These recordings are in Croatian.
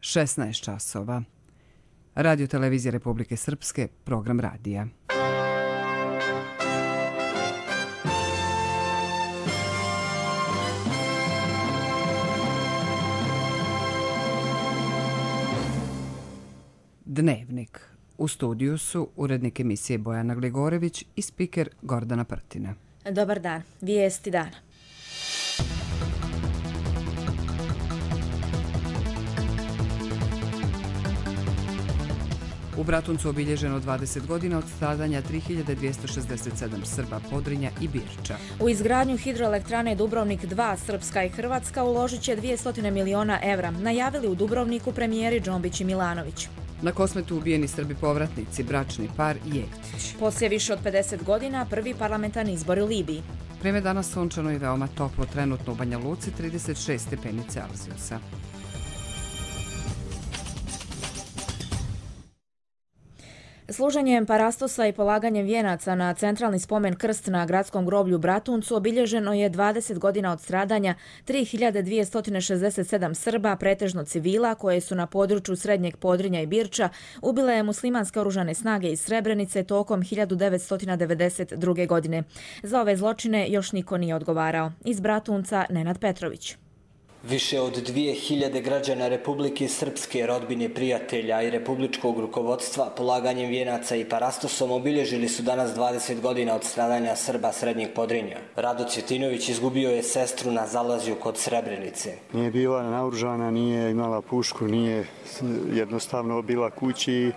16 časova. Radio Televizija Republike Srpske, program radija. Dnevnik. U studiju su urednik emisije Bojana Gligorević i spiker Gordana Prtina. Dobar dan. Vijesti dana. U Bratuncu obilježeno 20 godina od stradanja 3267 Srba, Podrinja i Birča. U izgradnju hidroelektrane Dubrovnik 2 Srpska i Hrvatska uložit će 200 miliona evra, najavili u Dubrovniku premijeri Džombić i Milanović. Na Kosmetu ubijeni Srbi povratnici, bračni par Jeftić. Poslije više od 50 godina prvi parlamentarni izbori u Libiji. Vreme danas sunčano i veoma toplo, trenutno u Banja Luci 36 stepeni Celzijusa. Služenjem parastosa i polaganjem vijenaca na centralni spomen krst na gradskom groblju Bratuncu obilježeno je 20 godina od stradanja 3267 Srba, pretežno civila, koje su na području Srednjeg Podrinja i Birča ubile muslimanske oružane snage iz Srebrenice tokom 1992. godine. Za ove zločine još niko nije odgovarao. Iz Bratunca Nenad Petrović. Više od 2000 građana Republike Srpske, rodbine, prijatelja i republičkog rukovodstva polaganjem vijenaca i parastosom obilježili su danas 20 godina od stradanja Srba Srednjeg Podrinja. Rado Cvjetinović izgubio je sestru na zalazju kod Srebrenice. Nije bila naoružana, nije imala pušku, nije jednostavno bila kući i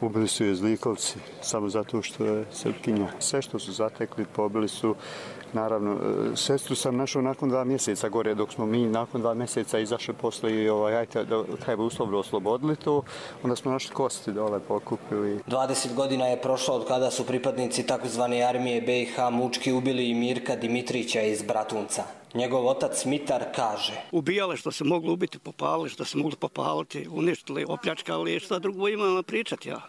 ubili su je zlikovci samo zato što je Srpkinja. Sve što su zatekli pobili su. Naravno, sestru sam našao nakon 2 mjeseca gore, dok smo mi nakon 2 mjeseca izašli posle i treba uslovno oslobodili to, onda smo našli kosti dole pokupili. 20 godina je prošlo od kada su pripadnici takozvane armije BiH mučki ubili i Mirka Dimitrića iz Bratunca. Njegov otac Mitar kaže: ubijale što se moglo ubiti, popalili što se moglo popaliti, uništili, opljačkali, šta drugo imamo pričati ja.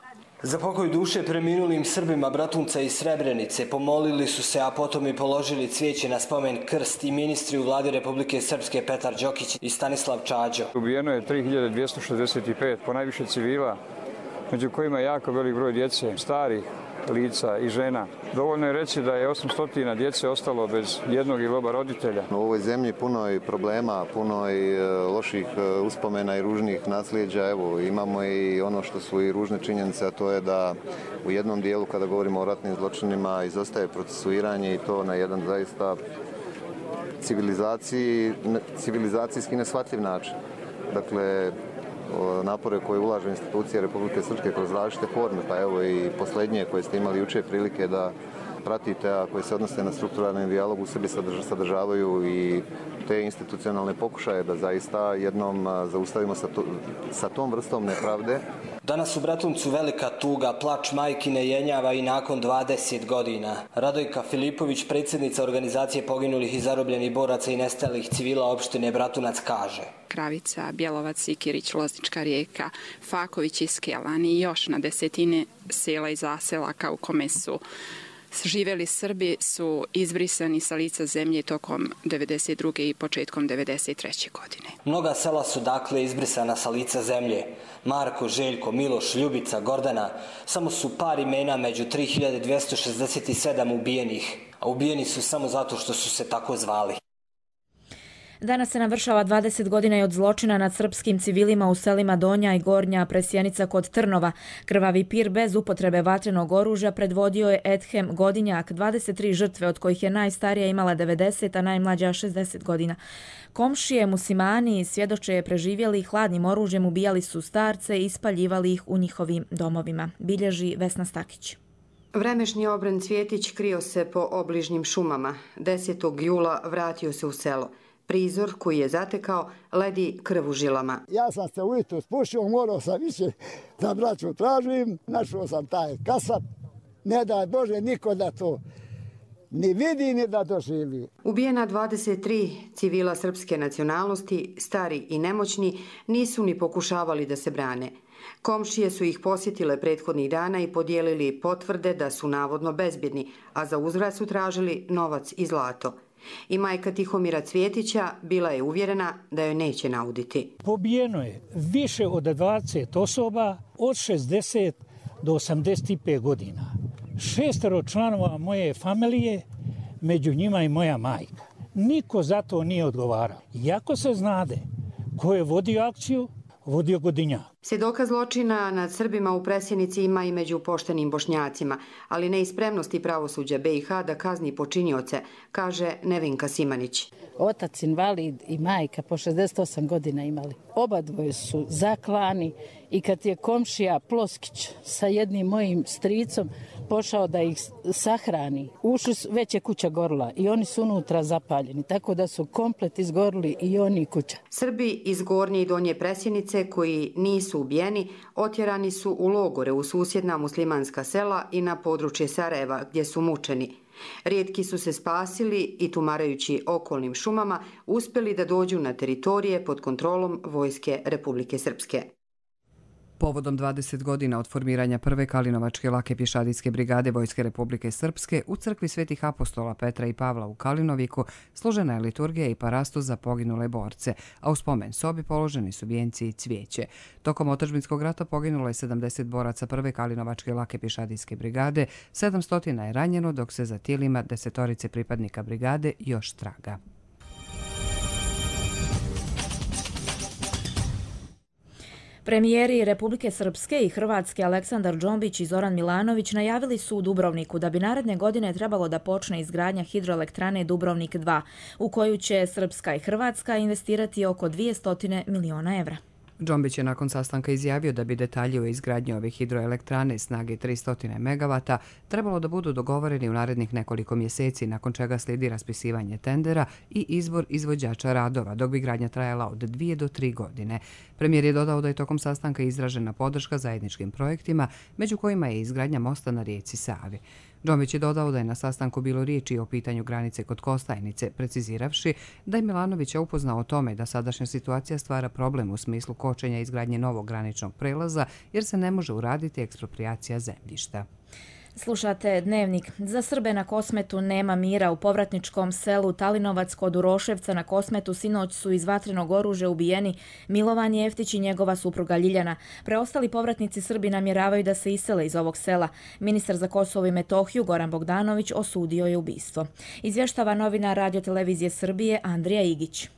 Za pokoj duše preminulim Srbima Bratunca i Srebrenice pomolili su se, a potom i položili cvijeće na spomen krst i ministri u vladi Republike Srpske Petar Đokić i Stanislav Čađo. Ubijeno je 3265, ponajviše civila, među kojima je jako velik broj djece, starih lica i žena. Dovoljno je reći da je 800 djece ostalo bez jednog ili oba roditelja. U ovoj zemlji puno je problema, puno je loših uspomena i ružnih nasljeđa. Evo, imamo i ono što su i ružne činjenice, a to je da u jednom dijelu, kada govorimo o ratnim zločinima, izostaje procesuiranje i to na jedan zaista civilizacijski neshvatljiv način. Dakle, napore koje ulaže institucije Republike Srpske kroz različite forme, pa evo i posljednje koje ste imali jučer prilike da pratite, a koje se odnose na strukturalni dijalog, u sebi sadržavaju i te institucionalne pokušaje da zaista jednom zaustavimo sa tom vrstom nepravde. Danas u Bratuncu velika tuga, plač majkine jenjava i nakon 20 godina. Radojka Filipović, predsjednica organizacije poginulih i zarobljenih boraca i nestalih civila opštine Bratunac, kaže: Kravica, Bjelovac, Sikirić, Loznička Rijeka, Faković i Skelan i još na desetine sela i zaselaka u kome su živjeli Srbi su izbrisani sa lica zemlje tokom 1992. i početkom 1993. godine. Mnoga sela su dakle izbrisana sa lica zemlje. Marko, Željko, Miloš, Ljubica, Gordana, samo su par imena među 3267 ubijenih, a ubijeni su samo zato što su se tako zvali. Danas se navršava 20 godina i od zločina nad srpskim civilima u selima Donja i Gornja Presjenica kod Trnova. Krvavi pir bez upotrebe vatrenog oružja predvodio je Edhem Godinjak, 23 žrtve, od kojih je najstarija imala 90, a najmlađa 60 godina. Komšije muslimani svjedoče preživjeli hladnim oružjem, ubijali su starce i ispaljivali ih u njihovim domovima. Bilježi Vesna Stakić. Vremešni obren Cvjetić krio se po obližnjim šumama. 10. jula vratio se u selo. Prizor koji je zatekao ledi krv u žilama. Ja sam se ujutru spušio, morao sam više da braću tražim, našao sam taj kasap, ne daj Bože niko da to ni vidi ni da doživi. Ubijena 23 civila srpske nacionalnosti, stari i nemoćni, nisu ni pokušavali da se brane. Komšije su ih posjetile prethodnih dana i podijelili potvrde da su navodno bezbjedni, a za uzvrat su tražili novac i zlato. I majka Tihomira Cvjetića bila je uvjerena da joj neće nauditi. Pobijeno je više od 20 osoba od 60 do 85 godina. 6 članova moje familije, među njima i moja majka. Niko za to nije odgovarao. Iako se znade ko je vodio akciju, vodio Godinjak. Svjedoka zločina nad Srbima u Presjenici ima i među poštenim Bošnjacima, ali ne i spremnosti pravosuđa BiH da kazni počinioce, kaže Nevenka Simanić. Otac invalid i majka po 68 godina imali. Obadvoje su zaklani i kad je komšija Ploskić sa jednim mojim stricom pošao da ih sahrani, ušli već je kuća gorila i oni su unutra zapaljeni, tako da su komplet izgorili i oni i kuća. Srbi iz Gornje i Donje Presjenice koji nisu ubijeni otjerani su u logore u susjedna muslimanska sela i na područje Sarajeva gdje su mučeni. Rijetki su se spasili i tumarajući okolnim šumama uspjeli da dođu na teritorije pod kontrolom Vojske Republike Srpske. Povodom 20 godina od formiranja prve Kalinovačke lake pješadijske brigade Vojske Republike Srpske u crkvi Svetih apostola Petra i Pavla u Kalinoviku složena je liturgija i parastos za poginule borce, a u spomen sobi položeni su vijenci i cvijeće. Tokom otadžbinskog rata poginulo je 70 boraca prve Kalinovačke lake pješadijske brigade, 700 je ranjeno, dok se za tijelima 10 pripadnika brigade još traga. Premijeri Republike Srpske i Hrvatske Aleksandar Džombić i Zoran Milanović najavili su u Dubrovniku da bi naredne godine trebalo da počne izgradnja hidroelektrane Dubrovnik 2, u koju će Srpska i Hrvatska investirati oko 200 miliona evra. Džombić je nakon sastanka izjavio da bi detalji o izgradnji ove hidroelektrane snage 300 MW trebalo da budu dogovoreni u narednih nekoliko mjeseci, nakon čega slijedi raspisivanje tendera i izbor izvođača radova, dok bi gradnja trajala od 2 do 3 godine. Premijer je dodao da je tokom sastanka izražena podrška zajedničkim projektima, među kojima je izgradnja mosta na rijeci Savi. Džombić je dodao da je na sastanku bilo riječi o pitanju granice kod Kostajnice, preciziravši da je Milanovića upoznao o tome da sadašnja situacija stvara problem u smislu kočenja izgradnje novog graničnog prelaza jer se ne može uraditi eksproprijacija zemljišta. Slušate Dnevnik. Za Srbe na Kosmetu nema mira. U povratničkom selu Talinovac kod Uroševca na Kosmetu sinoć su iz vatrenog oružja ubijeni Milovan Jeftić i njegova supruga Ljiljana. Preostali povratnici Srbi namjeravaju da se isele iz ovog sela. Ministar za Kosovo i Metohiju Goran Bogdanović osudio je ubistvo. Izvještava novinar Radio-televizije Srbije Andrija Igić.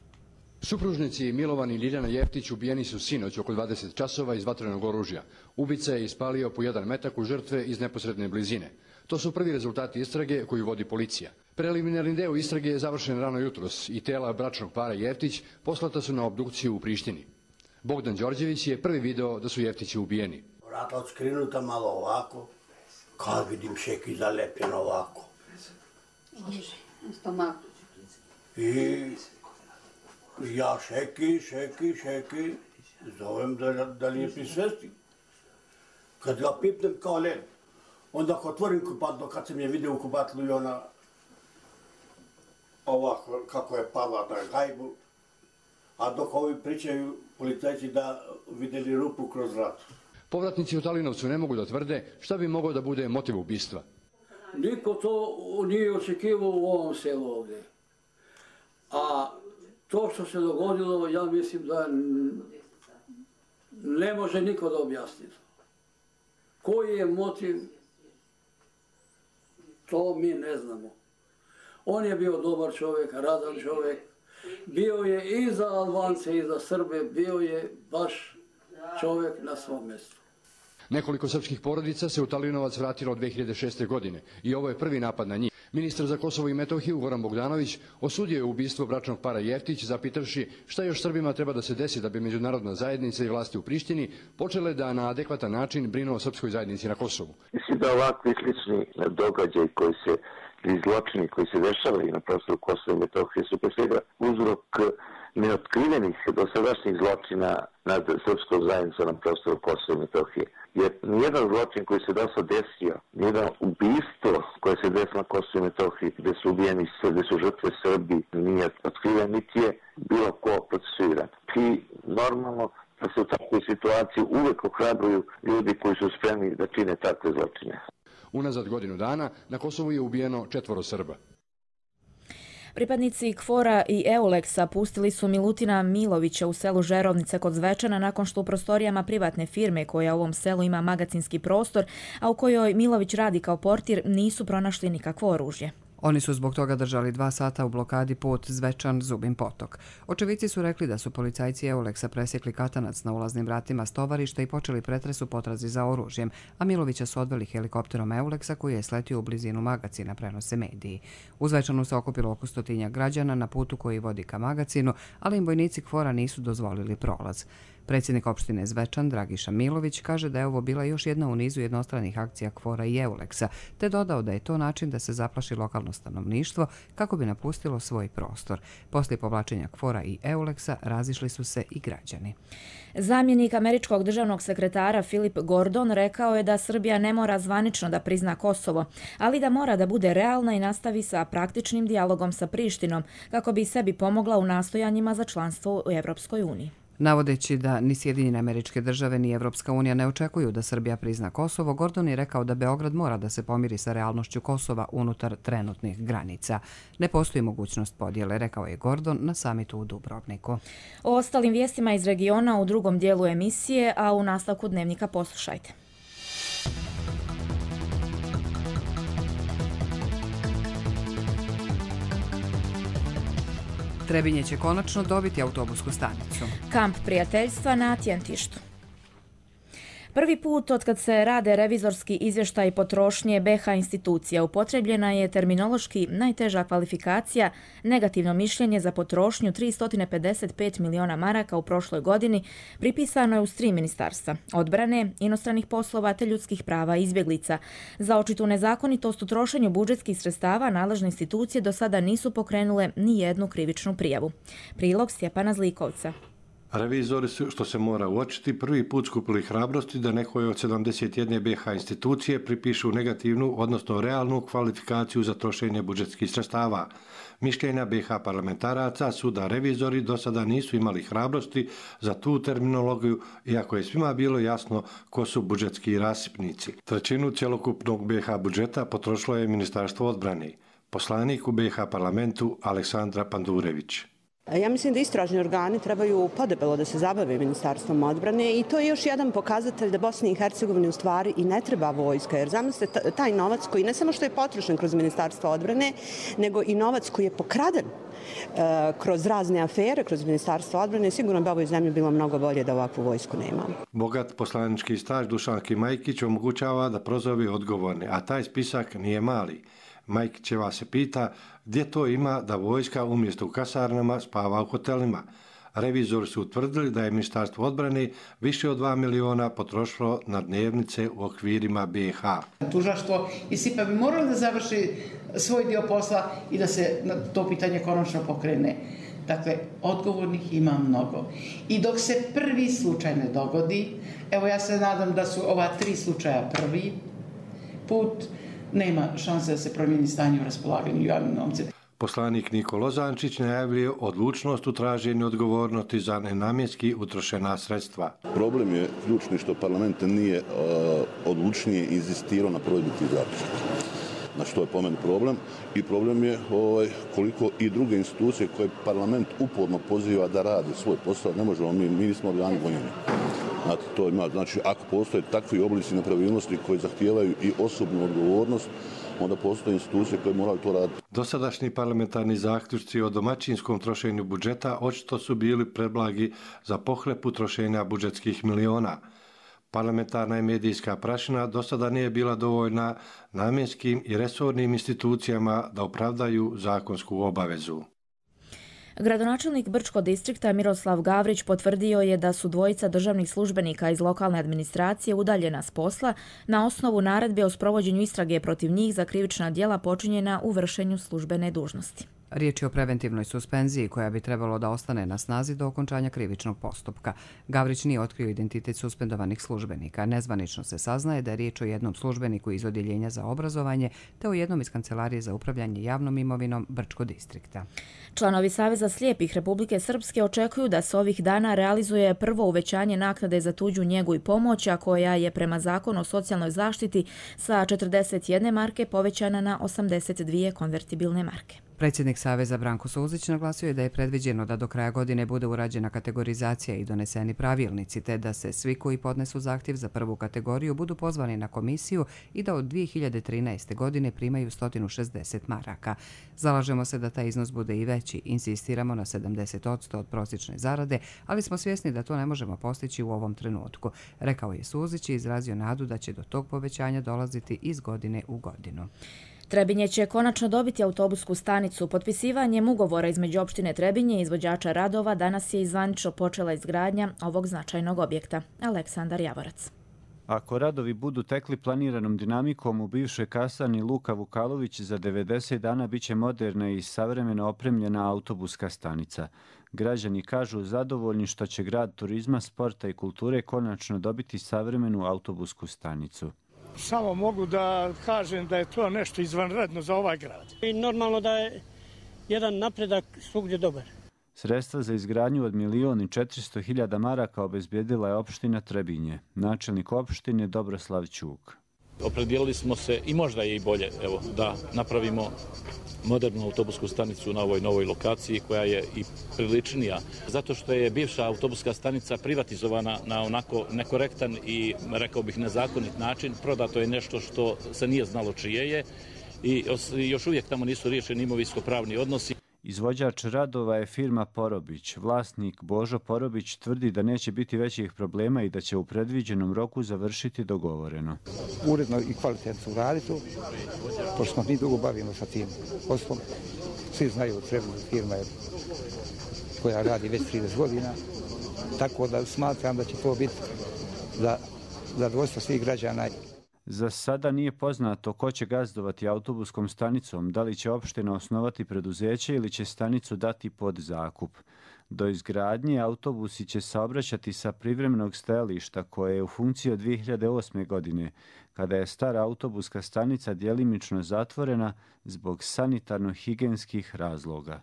Supružnici Milovan i Ljiljana Jeftić ubijeni su sinoć oko 20 časova iz vatrenog oružja. Ubica je ispalio po jedan metak u žrtve iz neposredne blizine. To su prvi rezultati istrage koju vodi policija. Preliminarni deo istrage je završen rano jutros i tela bračnog para Jeftić poslata su na obdukciju u Prištini. Bogdan Đorđević je prvi video da su Jeftići ubijeni. Vrata odskrinuta malo ovako, kad vidim šeki zalepljeno ovako. I ja šeki, zovem da li je pri svesti. Kad ga pipnem kao led, onda ako otvorim kupatlo, kad sam je vidio u kupatlu i ona ovako kako je pala na gajbu, a dok ovi pričaju policajci da vidjeli rupu kroz vrat. Povratnici u Talinovcu ne mogu da tvrde šta bi mogao da bude motiv ubistva. Niko to nije očekivao u ovom selu ovdje. A to što se dogodilo, ja mislim da ne može niko da objasni. Koji je motiv, to mi ne znamo. On je bio dobar čovjek, radan čovjek. Bio je i za Albance i za Srbe, bio je baš čovjek na svom mjestu. Nekoliko srpskih porodica se u Talinovac vratilo od 2006. godine i ovo je prvi napad na njih. Ministar za Kosovo i Metohiju Goran Bogdanović osudio je ubistvo bračnog para Jeftić, zapitavši šta još Srbima treba da se desi da bi međunarodna zajednica i vlasti u Prištini počele da na adekvatan način brinu o srpskoj zajednici na Kosovu. Mislim da ovakvi slični događaji i zločini koji se dešavaju na prostoru Kosova i Metohije su pre svega uzrok neotkrivenih dosadašnjih zločina nad srpskom zajednicom na prostoru Kosova i Metohije. Jer nijedan zločin koji se do sad desio, nijedan ubistvo koje se desilo na Kosovu i Metohiji, gdje su ubijeni, gdje su žrtve Srbi, nije otkriven, niti je bilo ko procesuiran. I normalno da se u takvoj situaciji uvek ohrabruju ljudi koji su spremni da čine takve zločine. Unazad godinu dana na Kosovu je ubijeno 4 Srba. Pripadnici KFOR-a i EULEX-a pustili su Milutina Milovića u selu Žerovnice kod Zvečana nakon što u prostorijama privatne firme koja u ovom selu ima magacinski prostor, a u kojoj Milović radi kao portir, nisu pronašli nikakvo oružje. Oni su zbog toga držali 2 sata u blokadi put Zvečan-Zubin Potok. Očevici su rekli da su policajci EULEX-a presjekli katanac na ulaznim vratima stovarišta i počeli pretres u potrazi za oružjem, a Milovića su odveli helikopterom EULEX-a koji je sletio u blizinu magacina, prenose mediji. U Zvečanu se okupilo oko 100 građana na putu koji vodi ka magacinu, ali im vojnici KFOR-a nisu dozvolili prolaz. Predsjednik opštine Zvečan, Dragiša Milović, kaže da je ovo bila još jedna u nizu jednostranih akcija KFOR-a i EULEX-a, te dodao da je to način da se zaplaši lokalno stanovništvo kako bi napustilo svoj prostor. Poslije povlačenja KFOR-a i EULEX-a razišli su se i građani. Zamjenik američkog državnog sekretara Philip Gordon rekao je da Srbija ne mora zvanično da prizna Kosovo, ali da mora da bude realna i nastavi sa praktičnim dijalogom sa Prištinom kako bi sebi pomogla u nastojanjima za članstvo u Evropskoj uniji. Navodeći da ni Sjedinjene Američke Države ni Evropska unija ne očekuju da Srbija prizna Kosovo, Gordon je rekao da Beograd mora da se pomiri sa realnošću Kosova unutar trenutnih granica. Ne postoji mogućnost podjele, rekao je Gordon na samitu u Dubrovniku. O ostalim vijestima iz regiona u drugom dijelu emisije, a u nastavku Dnevnika poslušajte. Trebinje će konačno dobiti autobusku stanicu. Kamp prijateljstva na Tjentištu. Prvi put otkad se rade revizorski izvještaj potrošnje BiH institucija upotrebljena je terminološki najteža kvalifikacija negativno mišljenje za potrošnju 355 miliona maraka u prošloj godini pripisano je uz 3 ministarstva: odbrane, inostranih poslova te ljudskih prava i izbjeglica. Za očitu nezakonitost u trošenju budžetskih sredstava nadležne institucije do sada nisu pokrenule ni jednu krivičnu prijavu. Prilog Stjepana Zlikovca. Revizori su, što se mora uočiti, prvi put skupili hrabrosti da nekoj od 71 BiH institucije pripišu negativnu, odnosno realnu kvalifikaciju za trošenje budžetskih sredstava. Mišljenja BiH parlamentaraca su da revizori do sada nisu imali hrabrosti za tu terminologiju, iako je svima bilo jasno ko su budžetski rasipnici. Trećinu cjelokupnog BiH budžeta potrošilo je Ministarstvo odbrane. Poslanik u BiH parlamentu Aleksandra Pandurević. Ja mislim da istražni organi trebaju podebelo da se zabave Ministarstvom odbrane i to je još jedan pokazatelj da Bosni i Hercegovini u stvari i ne treba vojska, jer zamislite taj novac koji ne samo što je potrošen kroz Ministarstvo odbrane, nego i novac koji je pokraden kroz razne afere, kroz Ministarstvo odbrane, sigurno bi ovoj zemlji bilo mnogo bolje da ovakvu vojsku nema. Bogat poslanički staž Dušanki Majkić omogućava da prozove odgovorne, a taj spisak nije mali. Majkićeva se pita gdje to ima da vojska umjesto u kasarnama spava u hotelima. Revizori su utvrdili da je Ministarstvo odbrane više od 2 miliona potrošilo na dnevnice u okvirima BiH. Tužilaštvo i SIPA bi morali da završi svoj dio posla i da se na to pitanje konačno pokrene. Dakle, odgovornih ima mnogo. I dok se prvi slučaj ne dogodi, evo ja se nadam da su ova 3 slučaja prvi put, nema šanse da se promijeni stanje u raspolaganju javnim novcem. Poslanik Niko Lozančić najavljuje odlučnost u traženju odgovornosti za nenamjenski utrošena sredstva. Problem je ključni što parlament nije odlučnije inzistirao na provedbi tih zaključaka. Znači, to je po meni problem. I problem je koliko i druge institucije koje parlament uporno poziva da rade svoj posao, ne možemo mi nismo organi gonjeni. Znači, ako postoje takvi oblici nepravilnosti koji zahtijevaju i osobnu odgovornost, onda postoje institucije koje moraju to raditi. Dosadašnji parlamentarni zaključci o domaćinskom trošenju budžeta očito su bili preblagi za pohlepu trošenja budžetskih miliona. Parlamentarna i medijska prašina do sada nije bila dovoljna namjenskim i resornim institucijama da opravdaju zakonsku obavezu. Gradonačelnik Brčkog distrikta Miroslav Gavrić potvrdio je da su dvojica državnih službenika iz lokalne administracije udaljena s posla na osnovu naredbe o sprovođenju istrage protiv njih za krivična djela počinjena u vršenju službene dužnosti. Riječ je o preventivnoj suspenziji koja bi trebalo da ostane na snazi do okončanja krivičnog postupka. Gavrić nije otkrio identitet suspendovanih službenika. Nezvanično se saznaje da je riječ o jednom službeniku iz Odjeljenja za obrazovanje te o jednom iz Kancelarije za upravljanje javnom imovinom Brčkog distrikta. Članovi Saveza slijepih Republike Srpske očekuju da se ovih dana realizuje prvo uvećanje naknade za tuđu njegu i pomoć, a koja je prema Zakonu o socijalnoj zaštiti sa 41 marke povećana na 82 konvertibilne marke. Predsjednik Saveza Branko Suzić naglasio je da je predviđeno da do kraja godine bude urađena kategorizacija i doneseni pravilnici, te da se svi koji podnesu zahtjev za prvu kategoriju budu pozvani na komisiju i da od 2013. godine primaju 160 maraka. Zalažemo se da taj iznos bude i veći, insistiramo na 70% od prosječne zarade, ali smo svjesni da to ne možemo postići u ovom trenutku, rekao je Suzić i izrazio nadu da će do tog povećanja dolaziti iz godine u godinu. Trebinje će konačno dobiti autobusku stanicu. Potpisivanjem ugovora između opštine Trebinje i izvođača radova danas je izvanično počela izgradnja ovog značajnog objekta. Aleksandar Javorac. Ako radovi budu tekli planiranom dinamikom, u bivšoj kasarni Luka Vukalović za 90 dana biće moderna i savremeno opremljena autobuska stanica. Građani kažu zadovoljni što će grad turizma, sporta i kulture konačno dobiti savremenu autobusku stanicu. Samo mogu da kažem da je to nešto izvanredno za ovaj grad. I normalno da je jedan napredak svugdje dobar. Sredstva za izgradnju od 1.400.000 maraka obezbijedila je opština Trebinje. Načelnik opštine Dobroslav Ćuk. Opredijelili smo se i možda je i bolje da napravimo modernu autobusku stanicu na ovoj novoj lokaciji koja je i priličnija. Zato što je bivša autobuska stanica privatizovana na onako nekorektan i, rekao bih, nezakonit način. Prodato je nešto što se nije znalo čije je i još uvijek tamo nisu riješeni imovinsko-pravni odnosi. Izvođač radova je firma Porobić. Vlasnik Božo Porobić tvrdi da neće biti većih problema i da će u predviđenom roku završiti dogovoreno. Uredno i kvalitetno uraditi, pošto smo mi dugo bavimo sa tim poslom. Svi znaju Trebinje firma je koja radi već 30 godina, tako da smatram da će to biti za zadovoljstvo svih građana. Za sada nije poznato ko će gazdovati autobuskom stanicom, da li će opština osnovati preduzeće ili će stanicu dati pod zakup. Do izgradnje autobusi će saobraćati sa privremenog stajališta koje je u funkciji od 2008. godine, kada je stara autobuska stanica djelimično zatvorena zbog sanitarno-higijenskih razloga.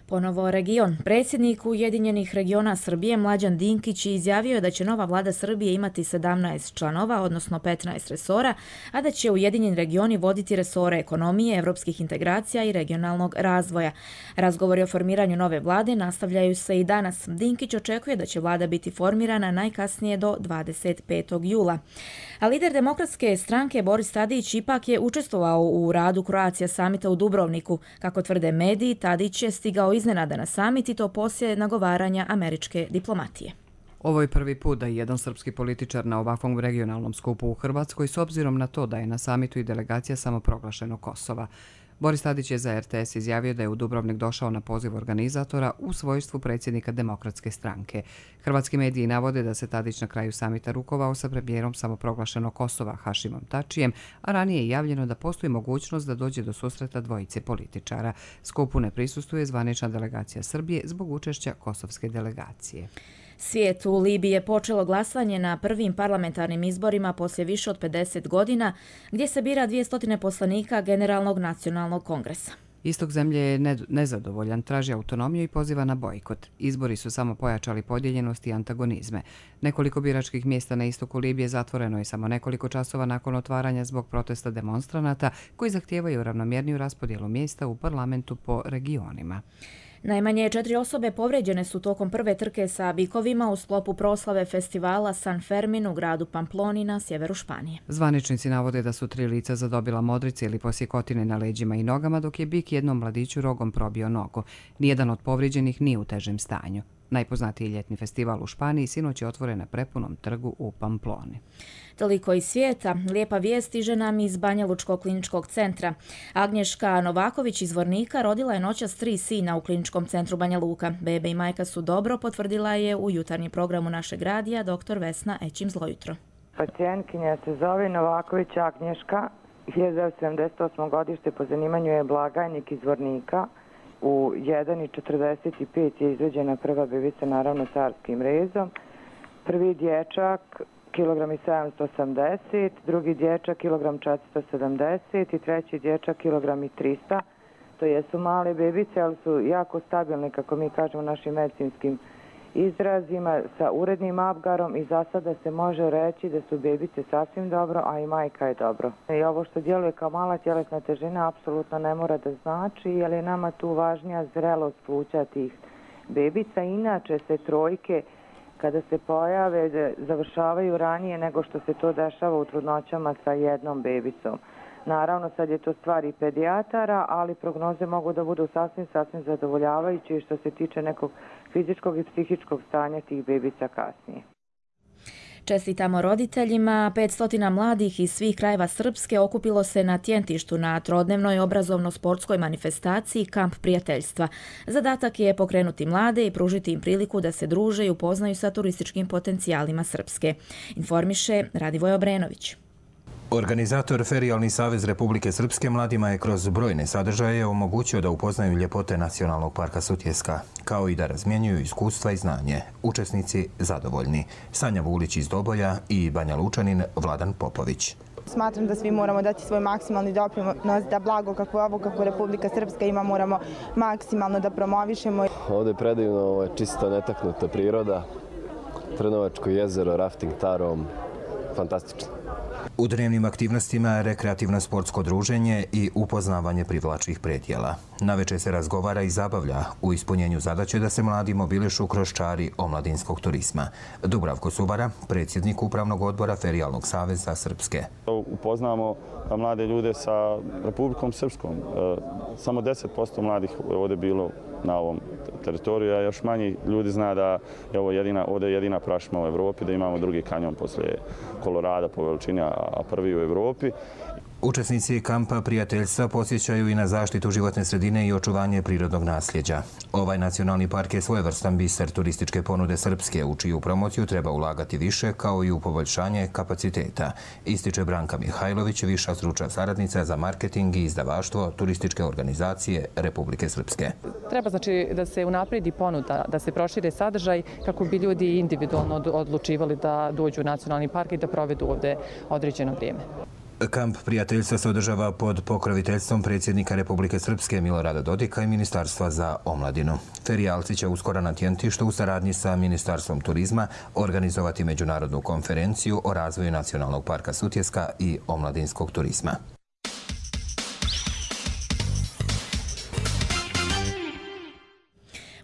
Ponovo region. Predsjednik Ujedinjenih regiona Srbije Mlađan Dinkić izjavio je da će nova vlada Srbije imati 17 članova, odnosno 15 resora, a da će Ujedinjeni regioni voditi resore ekonomije, evropskih integracija i regionalnog razvoja. Razgovori o formiranju nove vlade nastavljaju se i danas. Dinkić očekuje da će vlada biti formirana najkasnije do 25. jula. A lider Demokratske stranke Boris Tadić ipak je učestvovao u radu Croatia Summita u Dubrovniku. Kako tvrde mediji, Tadić je stigao iznenada na summit i to poslije nagovaranja američke diplomatije. Ovo je prvi put da je jedan srpski političar na ovakvom regionalnom skupu u Hrvatskoj s obzirom na to da je na samitu i delegacija samoproglašenog Kosova. Boris Tadić je za RTS izjavio da je u Dubrovnik došao na poziv organizatora u svojstvu predsjednika Demokratske stranke. Hrvatski mediji navode da se Tadić na kraju samita rukovao sa premijerom samoproglašenog Kosova Hašimom Tačijem, a ranije je javljeno da postoji mogućnost da dođe do susreta dvojice političara. Skupu ne prisustvuje zvanična delegacija Srbije zbog učešća kosovske delegacije. Svijet u Libiji je počelo glasanje na prvim parlamentarnim izborima poslije više od 50 godina, gdje se bira 200 poslanika Generalnog nacionalnog kongresa. Istok zemlje je nezadovoljan, traži autonomiju i poziva na bojkot. Izbori su samo pojačali podijeljenost i antagonizme. Nekoliko biračkih mjesta na istoku Libije zatvoreno je samo nekoliko časova nakon otvaranja zbog protesta demonstranata koji zahtijevaju ravnomjerniju raspodjelu mjesta u parlamentu po regionima. Najmanje 4 osobe povrijeđene su tokom prve trke sa bikovima u sklopu proslave festivala San Fermin u gradu Pamploni na sjeveru Španije. Zvaničnici navode da su 3 lica zadobila modrice ili posjekotine na leđima i nogama, dok je bik jednom mladiću rogom probio nogu. Nijedan od povrijeđenih nije u težem stanju. Najpoznatiji ljetni festival u Španiji sinoć je otvoren na prepunom trgu u Pamploni. Toliko iz svijeta. Lijepa vijest stiže nam iz Banja Lučkog kliničkog centra. Agnješka Novaković iz Vornika rodila je noćas 3 sina u kliničkom centru Banja Luka. Bebe i majka su dobro, potvrdila je u jutarnjem programu našeg radija dr. Vesna Ećim Zlojutro. Pacijentkinja se zove Novaković Agnješka, 1978. godište, po zanimanju je blagajnik iz Vornika. U 1,45 je izveđena prva bebica, naravno carskim rezom. Prvi dječak kilogram i 780, drugi dječak kilogram 470 i treći dječak kilogram i 300. To jesu male bebice, ali su jako stabilne, kako mi kažemo, našim medicinskim izrazima, sa urednim apgarom i za sada se može reći da su bebice sasvim dobro, a i majka je dobro. I ovo što djeluje kao mala tjelesna težina apsolutno ne mora da znači, jer je nama tu važnija zrelost pluća tih bebica. Inače se trojke kada se pojave završavaju ranije nego što se to dešava u trudnoćama sa jednom bebicom. Naravno, sad je to stvar i pedijatara, ali prognoze mogu da budu sasvim zadovoljavajuće što se tiče nekog fizičkog i psihičkog stanja tih bebica kasnije. Čestitamo roditeljima. 500 mladih iz svih krajeva Srpske okupilo se na Tjentištu na trodnevnoj obrazovno-sportskoj manifestaciji Kamp prijateljstva. Zadatak je pokrenuti mlade i pružiti im priliku da se druže i upoznaju sa turističkim potencijalima Srpske. Informiše Radivoj Obrenović. Organizator Ferijalni savez Republike Srpske mladima je kroz brojne sadržaje omogućio da upoznaju ljepote Nacionalnog parka Sutjeska, kao i da razmjenjuju iskustva i znanje. Učesnici zadovoljni. Sanja Vulić iz Doboja i Banja Lučanin Vladan Popović. Smatram da svi moramo dati svoj maksimalni doprinos da blago kako je ovo, kako Republika Srpska ima, moramo maksimalno da promovišemo. Ovdje je predivno, čisto netaknuta priroda, Trnovačko jezero, rafting tarom, fantastično. U dnevnim aktivnostima rekreativno sportsko druženje i upoznavanje privlačnih predjela. Navečer se razgovara i zabavlja u ispunjenju zadaće da se mladi mobilišu kroz čari omladinskog turizma. Dubravko Subara, predsjednik Upravnog odbora Ferijalnog saveza Srpske. Upoznamo mlade ljude sa Republikom Srpskom. Samo 10% mladih ovdje bilo na ovom teritoriju, a još manji ljudi zna da je ovo ovdje jedina prašuma u Evropi, da imamo drugi kanjon poslije Kolorada po veličini, a prvi u Evropi. Učesnici kampa prijateljstva posjećaju i na zaštitu životne sredine i očuvanje prirodnog nasljeđa. Ovaj nacionalni park je svojevrstan biser turističke ponude Srpske, u čiju promociju treba ulagati više, kao i u poboljšanje kapaciteta, ističe Branka Mihajlović, viša stručna saradnica za marketing i izdavaštvo turističke organizacije Republike Srpske. Treba znači da se unapredi ponuda, da se prošire sadržaj kako bi ljudi individualno odlučivali da dođu u nacionalni park i da provedu ovdje određeno vrijeme. Kamp prijateljstva se održava pod pokroviteljstvom predsjednika Republike Srpske Milorada Dodika i Ministarstva za omladinu. Ferijalci će uskoro na Tjentištu u saradnji sa Ministarstvom turizma organizovati međunarodnu konferenciju o razvoju Nacionalnog parka Sutjeska i omladinskog turizma.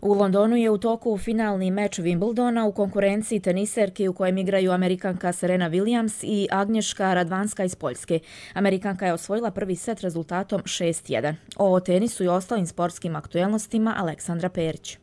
U Londonu je u toku finalni meč Wimbledona u konkurenciji teniserki u kojem igraju Amerikanka Serena Williams i Agnieszka Radwanska iz Poljske. Amerikanka je osvojila prvi set rezultatom 6:1. O tenisu i ostalim sportskim aktuelnostima Aleksandra Perić.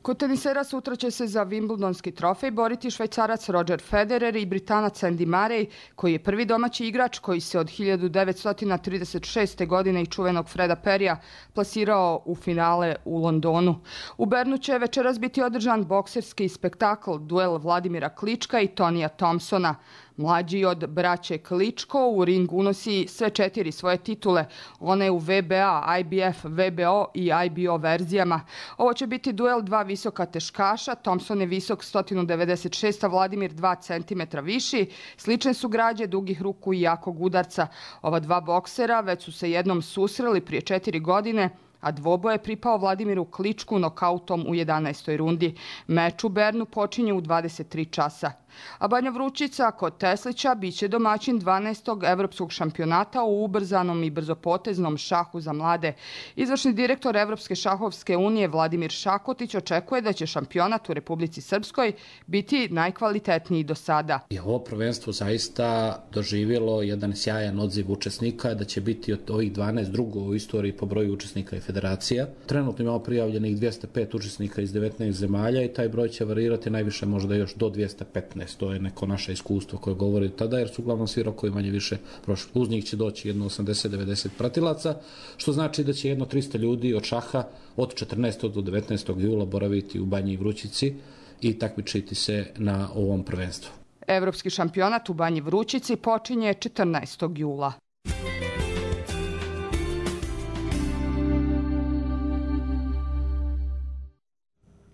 Kod tenisera sutra će se za Wimbledonski trofej boriti Švajcarac Roger Federer i Britanac Andy Murray, koji je prvi domaći igrač koji se od 1936. godine i čuvenog Freda Perrya plasirao u finale u Londonu. U Bernu će večeras biti održan bokserski spektakl, duel Vladimira Klička i Tonija Thompsona. Mlađi od braće Kličko u ring unosi sve 4 svoje titule, one u VBA, IBF, VBO i IBO verzijama. Ovo će biti duel dva visoka teškaša, Thompson je visok 196, a Vladimir 2 cm viši. Slične su građe, dugih ruku i jakog udarca. Ova dva boksera već su se jednom susreli prije 4 godine, a dvoboj je pripao Vladimiru Kličku nokautom u 11. rundi. Meč u Bernu počinje u 23 časa. A Banja Vrućica kod Teslića biće domaćin 12. evropskog šampionata u ubrzanom i brzopoteznom šahu za mlade. Izvršni direktor Evropske šahovske unije Vladimir Šakotić očekuje da će šampionat u Republici Srpskoj biti najkvalitetniji do sada. Ovo prvenstvo zaista doživjelo jedan sjajan odziv učesnika, da će biti od ovih 12 drugo u istoriji po broju učesnika i federacija. Trenutno imamo prijavljenih 205 učesnika iz 19 zemalja i taj broj će varirati najviše možda još do 215. To je neko naše iskustvo koje govori tada, jer su uglavnom svi rokovi manje više prošli. Uz njih će doći jedno 80-90 pratilaca, što znači da će jedno 300 ljudi od šaha od 14. do 19. jula boraviti u Banji Vrućici i takmičiti se na ovom prvenstvu. Evropski šampionat u Banji Vrućici počinje 14. jula.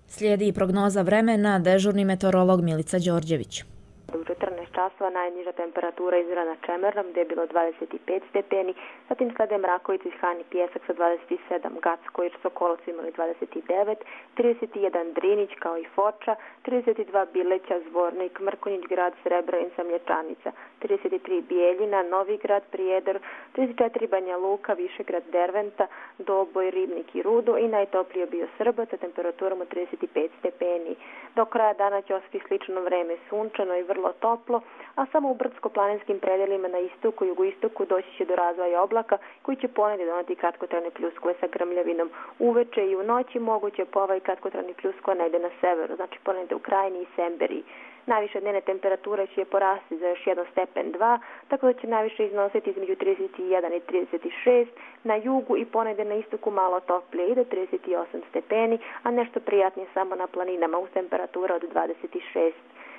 Slijedi prognoza vremena, dežurni meteorolog Milica Đorđević. U 14 časova, najniža temperatura izmjerena na Čemernom gdje je bilo 25 stepeni, zatim slede Mrakovica i Hani Pijesak sa 27, Gacko i Sokolac imali 29, 31 Drinić kao i Foča, 32 Bileća, Zvornik, Mrkonjić grad, Srebrenica, Mlječanica, 33 Bijeljina, Novigrad, Prijedor, 34 Banja Luka, Višegrad, Derventa, Doboj, Ribnik i Rudo i najtoplije bio Srbac sa temperaturom od 35 stepeni. Do kraja dana će ostati slično vreme, sunčano i vrlo toplo, a samo u brdsko-planinskim predelima na istoku i jugoistoku doći će do razvoja oblaka koji će ponegdje doneti kratkotrajne pljuskove sa grmljavinom. Uveče i u noći moguće pova i kratkotrajni pljuskova negdje na severu, znači ponegdje u Krajini i Semberiji. Najviše dnevne temperature će porasti za još 1 stepen 2, tako da će najviše iznositi između 31 i 36, na jugu i ponegdje na istoku malo toplije i do 38 stepeni, a nešto prijatnije samo na planinama uz temperatura od 26.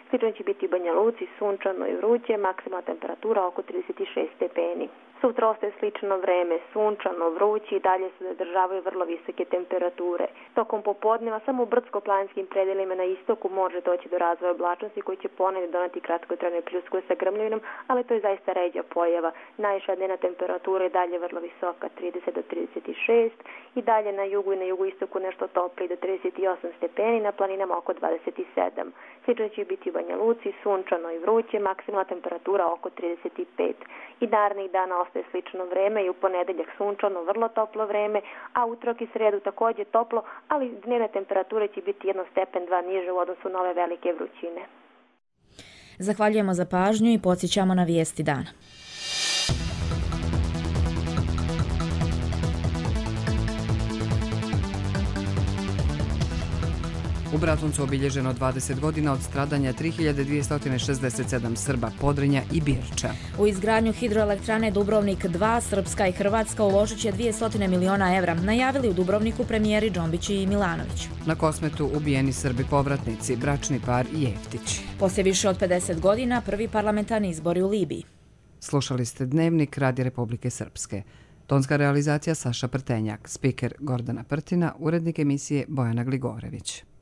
Slično će biti u Banja Luci, sunčano i vruće, maksimalna temperatura oko 36 stepeni. Sutra ostaje slično vreme, sunčano, vruće i dalje se zadržavaju vrlo visoke temperature. Tokom popodneva samo u brdsko-planinskim predelima na istoku može doći do razvoja oblačnosti koji će ponegdje doneti kratkotrajne pljuskove sa grmljavinom, ali to je zaista ređa pojava. Najviša dnevna temperatura je dalje vrlo visoka, 30 do 36 i dalje na jugu i na jugoistoku nešto toplije do 38 stepeni, na planinama oko 27. Slično će biti u Banja Luci, sunčano i vruće, maksimalna temperatura oko 35. I narednih dana ostaje slično vreme i u ponedeljak sunčano, vrlo toplo vreme, a utorak i sredu također toplo, ali dnevne temperature će biti 1 stepen 2 niže u odnosu na ove velike vrućine. Zahvaljujemo za pažnju i podsjećamo na vijesti dana. U Bratuncu obilježeno 20 godina od stradanja 3267 Srba, Podrinja i Birča. U izgradnju hidroelektrane Dubrovnik 2 Srpska i Hrvatska uložit će 200 miliona evra, najavili u Dubrovniku premijeri Džombić i Milanović. Na Kosmetu ubijeni Srbi povratnici, bračni par Jeftić. Poslije više od 50 godina prvi parlamentarni izbori u Libiji. Slušali ste Dnevnik Radija Republike Srpske. Tonska realizacija Saša Prtenjak, spiker Gordana Prtina, urednik emisije Bojana Gligorević.